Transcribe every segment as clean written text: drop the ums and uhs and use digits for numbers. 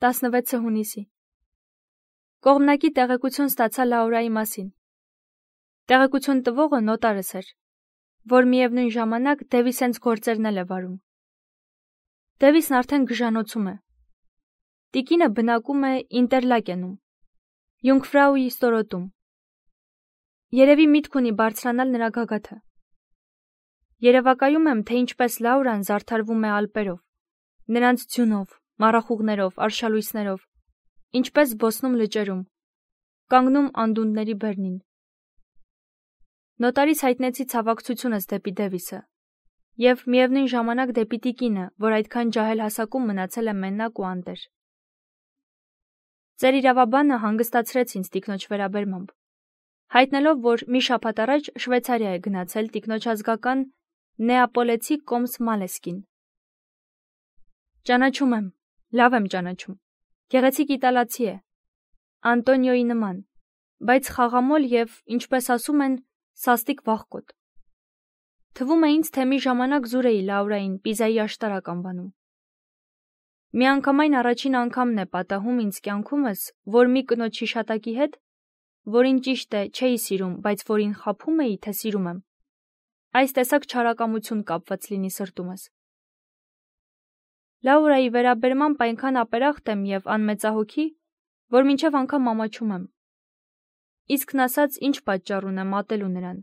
16 հունիսի։ Կողմնակի տեղեկություն ստացա Լաուրայի մասին։ Տեղեկություն տվողը նոտարս էր, որ միևնույն ժամանակ Դևիսենց գործերն էլ է վարում։ Դևիսն արդեն գժանոցում է։ Տիկինը բնակում է Ինտերլակենում, Յունգֆրաուի ստորոտում։ Երևի միտք ունի բարձրանալ նրա գագաթը։ Երևակայում եմ, թե ինչպես Լաուրան զարդարվում է ալպերով, նրանց ձյունով, մառախուղներով, արշալույսներով, ինչպես զբոսնում լճերում, կանգնում անդունդների բերնին։ Նոտարից հայտնեցի ցավակցությունս դեպի Դևիսը և միևնույն ժամանակ դեպի տիկինը, որ այդքան ջահել հասակում մնացել է մենակ ու անտեր։ Ձեր իրավաբանը հանգստացրեց ինձ տիկնոջ վերաբերմամբ, հայտնելով, որ մի շաբաթ առաջ Շվեյցարիա է գնացել տիկնոջ ազգական Նեապոլեցի կոմս Մալեսկին։ Ճանաչում եմ, լավ եմ ճանաչում։ Գեղեցիկ իտալացի է, Անտոնիոյի նման, բայց խաղամոլ և, ինչպես ասում են, սաստիկ վախկոտ։ Թվում է ինձ, թե մի ժամանակ զուր էի Լաուրային Պիզայի աշտարակ անվանում։ Միանգամայն առաջին անգամն է պատահում ինձ կյանքումս, որ մի կնոջ հիշատակի հետ, որին ճիշտ է չէի սիրում, բայց որին խաբում էի, թե սիրում եմ, այս տեսակ չարակամություն կապված լինի սրտումս։ Լաուրայի վերաբերմամբ այնքան ապերախտ եմ և անմեծահոգի, որ մինչև անգամ ամաչում եմ։ Իսկն ասած, ինչ պատճառ ունեմ ատելու նրան,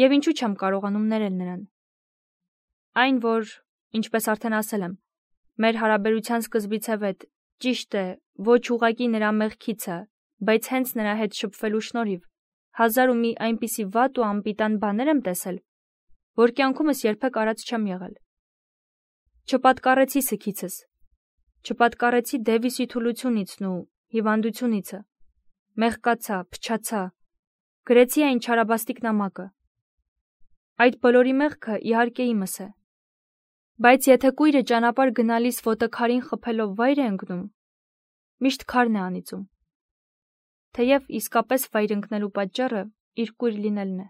և ինչու չեմ կարողանում ներել նրան։ Այն, որ, ինչպես արդեն ասել եմ, մեր հարաբերության սկզբից է վետ, ճիշտ է, ոչ ուղղակի նրա մեղքիցը, բայց հենց նրա հետ շփվելու շնորհիվ, հազար ու մի այնպիսի վատ ու անպիտան բաներ եմ տեսել, որ կյանքումս երբեք արած չեմ եղել։ Չպատկառեցի սգիցս, չպատկառեցի Դևիսի թուլությունիցն ու հիվանդությունիցը, մեղկացա, փչացա, գրեցի այն չարաբաստիկ նամակը։ Այդ բոլորի մեղքը իհարկե իմս է, բայց եթե կույրը ճանապարհ գնալիս ոտը քարին խփելով վայր է ընկնում, միշտ քարն է անիծում, թեև իսկապես վայր ընկնելու պատճառը իր կույր լինելն է։